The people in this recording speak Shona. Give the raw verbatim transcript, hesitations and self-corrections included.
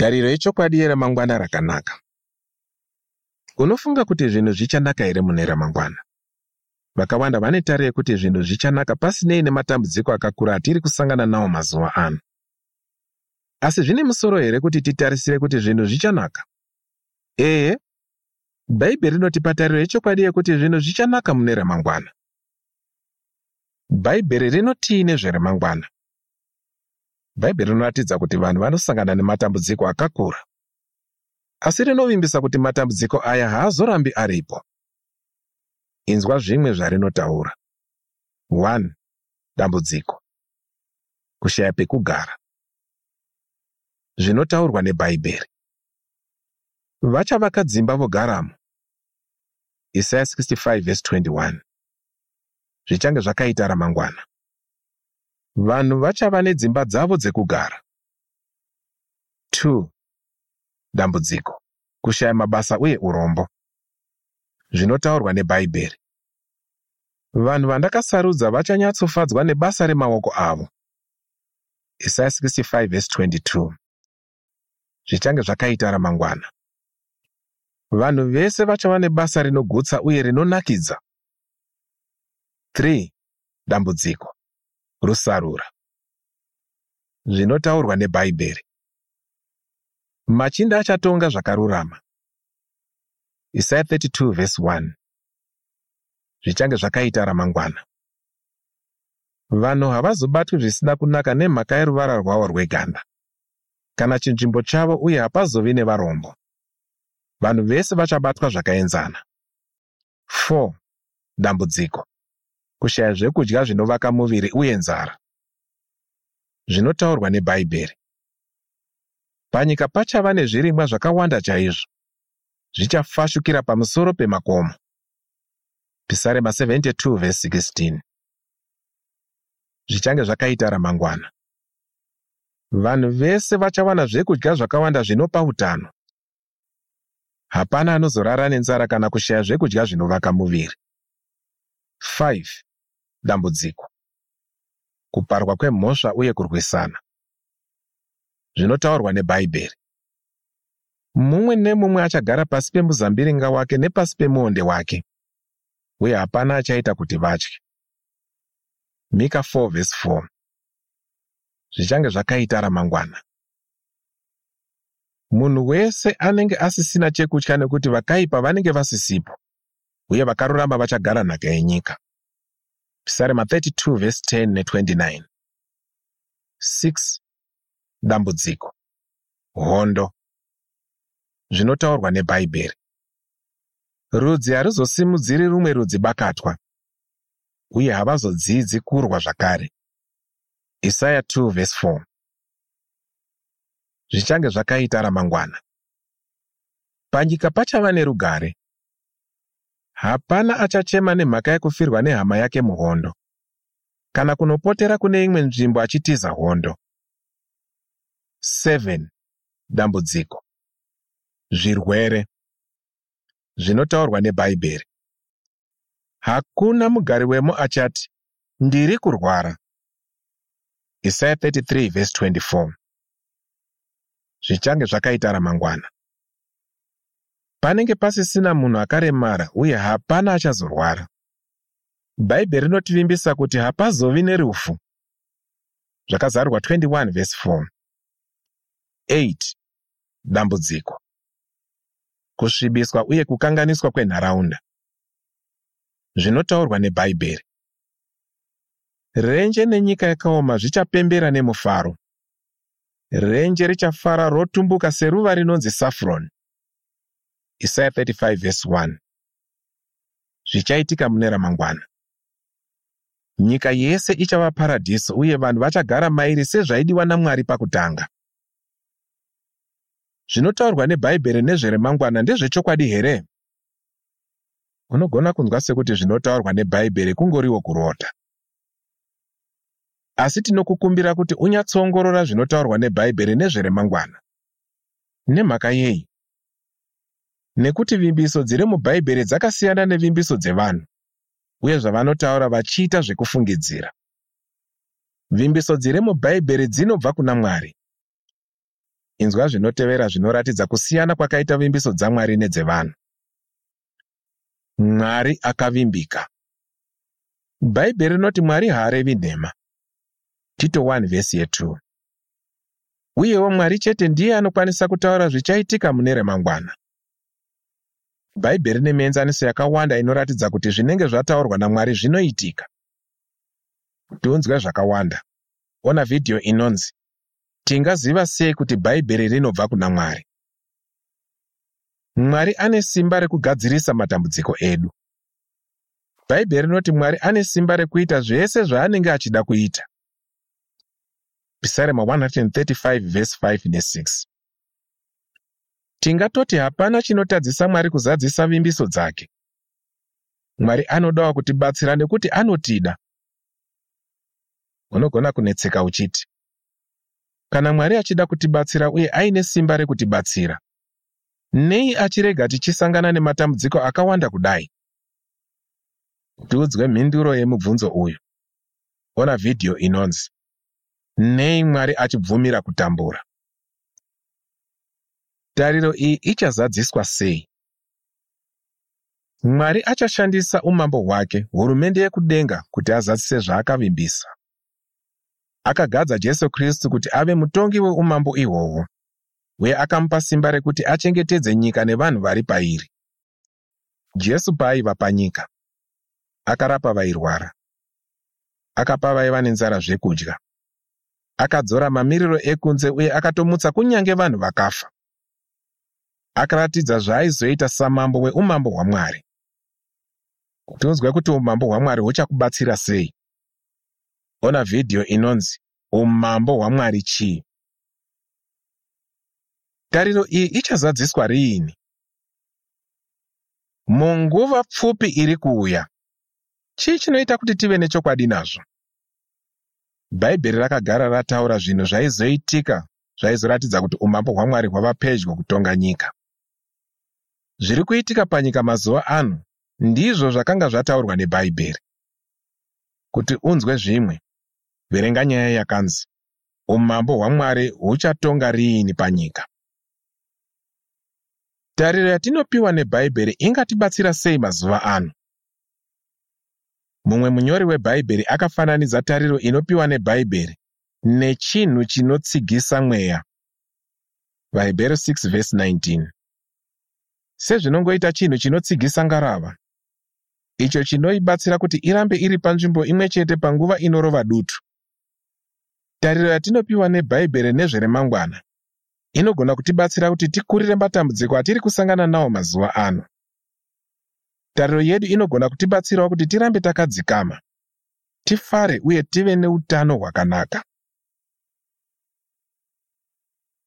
Tariro yechokwadi yeramangwana rakanaka. Unofunga kuti zvinhu zvichanaka here mune ramangwana? Vakawanda vane tariro yekuti zvinhu zvichanaka pasinei nematambudziko akakura atiri kusangana nawo mazuva ano. Asi zvine musoro here kuti titarisire kuti zvinhu zvichanaka? Ehe, Bhaibheri rinotipa tariro yechokwadi yekuti zvinhu zvichanaka mune ramangwana. Bhaibheri rinotii nezveremangwana? Bhaibheri rinoratidza kuti vanhu vanosangana nematambudziko akakura. Asi rinovimbisa kuti matambudziko aya haazorambi aripo. Inzwa zvimwe zvarinotaura. one. Dambudziko. Kushaya pekugara. Zvinotaurwa neBhaibheri. Vachavaka dzimba vogaramo. Isaya sixty five verse twenty one. Zvichange zvakaita ramangwana. Vanhu vachava nedzimba dzavo dzekugara. two. Dambudziko. Kushaya mabasa uye urombo. Zvinotaurwa neBhaibheri. Vanhu vandakasarudza vachanyatsofadzwa nebasa remaoko avo. Isaya sixty five verse twenty two. Zvichange zvakaita ramangwana. Vanhu vese vachava nebasa rinogutsa uye rinonakidza. three. Dambudziko. Rusarura. Zvinotaurwa neBhaibheri. Machinda achatonga zvakarurama. Isaya thirty two verse one. Zvichange zvakaita ramangwana. Vanhu havazobatwi zvisina kunaka nemhaka yeruvara rwavo rweganda, kana chinzvimbo chavo uye hapazovi nevarombo. Vanhu vese vachabatwa zvakaenzana. four. Dambudziko. Kushaya zvekudya zvinovaka muviri uye nzara. Zvinotaurwa neBhaibheri. Panyika pachava nezvirimwa zvakawanda chaizvo. Zvichafashukira pamusoro pemakomo. Pisarema seventy two verse sixteen. Zvichange zvakaita ramangwana. Vanhu vese vachawana zvekudya zvakawanda zvinopa utano. Hapana anozorara nenzara kana kushaya zvekudya zvinovaka muviri. five. Dambudziko. Kuparwa kwemhosva uye kurwisana. Zvinotaurwa neBhaibheri. Mumwe nemumwe achagara pasi pemuzambiringa wake nepasi pemuonde wake, uye hapana achaita kuti vatye. Mika four verse four. Zvichange zvakaita ramangwana. Munhu wese anenge asisina chekutya nekuti vakaipa vanenge vasisipo, uye vakarurama vachagara nhaka yenyika. Pisarema thirty two verse ten ne twenty nine. six. Dambudziko. Hondo. Zvinotaurwa neBhaibheri. Rudzi haruzosimudziri rumwe rudzi bakatwa, uye havazodzidzi kurwa zvakare. Isaya two verse four. Zvichange zvakaita ramangwana. Panyika pachava nerugare. Hapana achachema nemhaka yekufirwa nehama yake muhondo, kana kunopotera kune imwe nzvimbo achitiza hondo. seven. Dambudziko. Zvirwere. Zvinotaurwa neBhaibheri. Hakuna mugari wemo achati, ndiri kurwara. Isaya thirty three verse twenty four. Zvichange zvakaita ramangwana. Panenge pasisina munhu akaremara uye hapana achazorwara. Bhaibheri rinotivimbisa kuti hapazovi nerufu. Zvakazarurwa twenty one verse four. eight. Dambudziko. Kusvibiswa uye kukanganiswa kwenharaunda. Zvinotaurwa neBhaibheri. Renje nenyika yakaoma zvichapembera nemufaro. Renje richafara rotumbuka seruva rinonzi saffron. Isaya thirty five verse one. Zvichaitika mune ramangwana. Nyika yese ichava paradhiso uye vanhu vachagara mairi sezvaidiwa naMwari pakutanga. Zvinotaurwa neBhaibheri nezveremangwana ndezvechokwadi here? Unogona kunzwa sekuti zvinotaurwa neBhaibheri kungoriwo kurota. Asi tinokukumbira kuti unyatsoongorora zvinotaurwa neBhaibheri nezveremangwana. Nemhaka yei? Nekuti vimbiso dziri muBhaibheri dzakasiyana nevimbiso dzevanhu, uye zvavanotaura vachiita zvekufungidzira. Vimbiso dziri muBhaibheri dzinobva kuna Mwari. Inzwa zvinotevera zvinoratidza kusiyana kwakaita vimbiso dzaMwari nedzevanhu. Mwari akavimbika. Bhaibheri rinoti Mwari haarevi nhema. Tito one vhesi yetwo. Uyewo Mwari chete ndiye anokwanisa kutaura zvichaitika mune remangwana. Bhaibheri rine mienzaniso yakawanda inoratidza kuti zvinenge zvataurwa naMwari zvinoitika. Kuti unzwe zvakawanda, ona vhidhiyo inonzi Tingaziva Sei Kuti Bhaibheri Rinobva Kuna Mwari? Mwari ane simba rekugadzirisa matambudziko edu. Bhaibheri rinoti Mwari ane simba rekuita zvese zvaanenge achida kuita. Pisarema one hundred thirty-five vhesi five ne six. Tingatoti hapana chinotadzisa Mwari kuzadzisa vimbiso dzake. Mwari anodawo kutibatsira nekuti anotida. Unogona kunetseka uchiti, kana Mwari achida kutibatsira uye aine simba rekutibatsira, nei achirega tichisangana nematambudziko akawanda kudai? Tiudzwe mhinduro yemubvunzo uyu. Ona vhidhiyo inonzi Nei Mwari Achibvumira Kutambura? Tariro iyi ichazadziswa sei? Mwari achashandisa umambo hwake, hurumende yekudenga, kuti azadzise zvaakavimbisa. Akagadza Jesu Kristu kuti ave mutongi weumambo ihwohwo, uye akamupa simba rekuti achengetedze nyika nevanhu vari pairi. Jesu paaiva panyika, akarapa vairwara, akapa vaiva nenzara zvekudya, akadzora mamiriro ekunze uye akatomutsa kunyange vanhu vakafa. Akaratidza zvaaizoita samambo weumambo hwaMwari. Kuti unzwe kuti umambo hwaMwari huchakubatsira sei, ona vhidhiyo inonzi Umambo hwaMwari Chii? Tariro iyi ichazadziswa riini? Munguva pfupi iri kuuya. Chii chinoita kuti tive nechokwadi nazvo? Bhaibheri rakagara rataura zvinhu zvaizoitika zvaizoratidza kuti umambo hwaMwari hwava pedyo kutonga nyika. Zviri kuitika panyika mazuva ano ndizvo zvakanga zvataurwa neBhaibheri. Kuti unzwe zvimwe, verenga nyaya yakanzi Umambo hwaMwari huchatonga riini panyika? Tariro yatinopiwa neBhaibheri ingatibatsira sei mazuva ano? Mumwe munyori weBhaibheri akafananidza tariro inopiwa neBhaibheri nechinhu chinotsigisa mweya. VaHebheru six vhesi nineteen. Sezvinongoita chinhu chinotsigisa ngarava, icho chinoibatsira kuti irambe iri panzvimbo imwe chete panguva inorova dutu. Tariro yatinopiwa neBhaibheri nezveremangwana inogona kutibatsira kuti tikurire matambudziko atiri kusangana nawo mazuva ano. Tariro yedu inogona kutibatsirawo kuti tirambe takadzikama, tifare uye tive neutano hwakanaka.